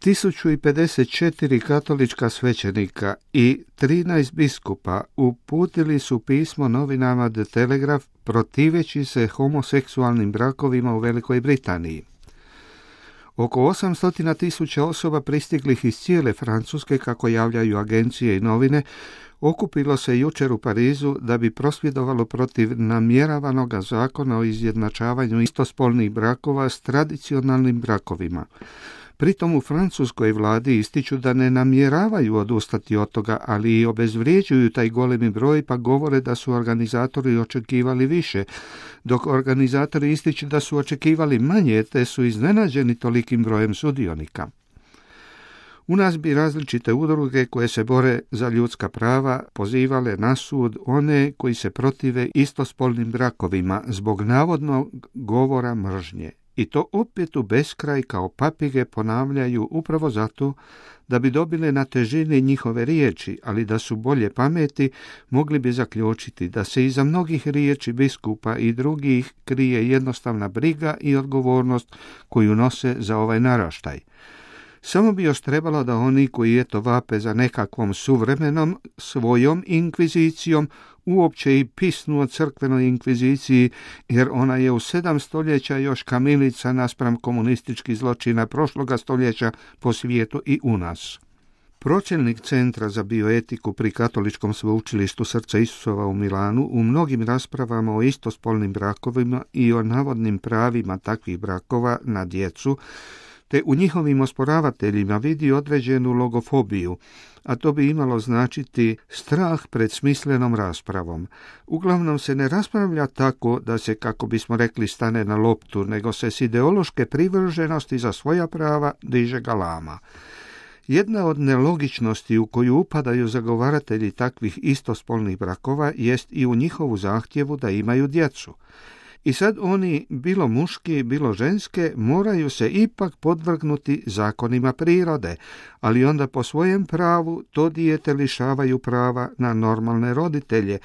1054 katolička svećenika i 13 biskupa uputili su pismo novinama The Telegraph protiveći se homoseksualnim brakovima u Velikoj Britaniji. Oko 800.000 osoba pristiglih iz cijele Francuske, kako javljaju agencije i novine, okupilo se jučer u Parizu da bi prosvjedovalo protiv namjeravanog zakona o izjednačavanju istospolnih brakova s tradicionalnim brakovima. Pritom u francuskoj vladi ističu da ne namjeravaju odustati od toga, ali i obezvrijeđuju taj golemi broj pa govore da su organizatori očekivali više, dok organizatori ističu da su očekivali manje te su iznenađeni tolikim brojem sudionika. U nas bi različite udruge koje se bore za ljudska prava pozivale na sud one koji se protive istospolnim brakovima zbog navodnog govora mržnje. I to opet u beskraj kao papige ponavljaju upravo zato da bi dobile na težini njihove riječi, ali da su bolje pameti, mogli bi zaključiti da se iza mnogih riječi biskupa i drugih krije jednostavna briga i odgovornost koju nose za ovaj naraštaj. Samo bi još trebalo da oni koji vape za nekakvom suvremenom svojom inkvizicijom uopće i pisnu o crkvenoj inkviziciji, jer ona je u 7 stoljeća još kamilica naspram komunističkih zločina prošloga stoljeća po svijetu i u nas. Pročelnik Centra za bioetiku pri Katoličkom sveučilištu Srca Isusova u Milanu u mnogim raspravama o istospolnim brakovima i o navodnim pravima takvih brakova na djecu, te u njihovim osporavateljima vidi određenu logofobiju, a to bi imalo značiti strah pred smislenom raspravom. Uglavnom se ne raspravlja tako da se, kako bismo rekli, stane na loptu, nego se s ideološke privrženosti za svoja prava diže galama. Jedna od nelogičnosti u koju upadaju zagovaratelji takvih istospolnih brakova jest i u njihovu zahtjevu da imaju djecu. I sad oni, bilo muški, bilo ženske, moraju se ipak podvrgnuti zakonima prirode, ali onda po svojem pravu to dijete lišavaju prava na normalne roditelje,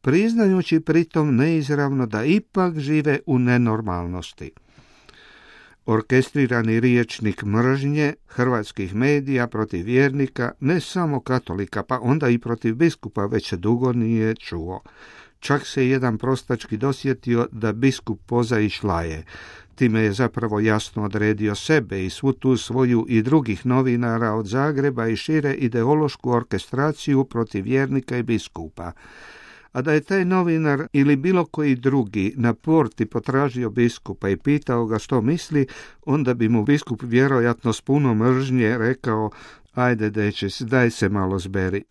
priznajući pritom neizravno da ipak žive u nenormalnosti. Orkestrirani riječnik mržnje hrvatskih medija protiv vjernika, ne samo katolika, pa onda i protiv biskupa, već se dugo nije čuo. Čak se jedan prostački dosjetio da biskup poza i šlaje. Time je zapravo jasno odredio sebe i svu tu svoju i drugih novinara od Zagreba i šire ideološku orkestraciju protiv vjernika i biskupa. A da je taj novinar ili bilo koji drugi na porti potražio biskupa i pitao ga što misli, onda bi mu biskup vjerojatno s puno mržnje rekao: ajde, dečec, daj se malo zberi.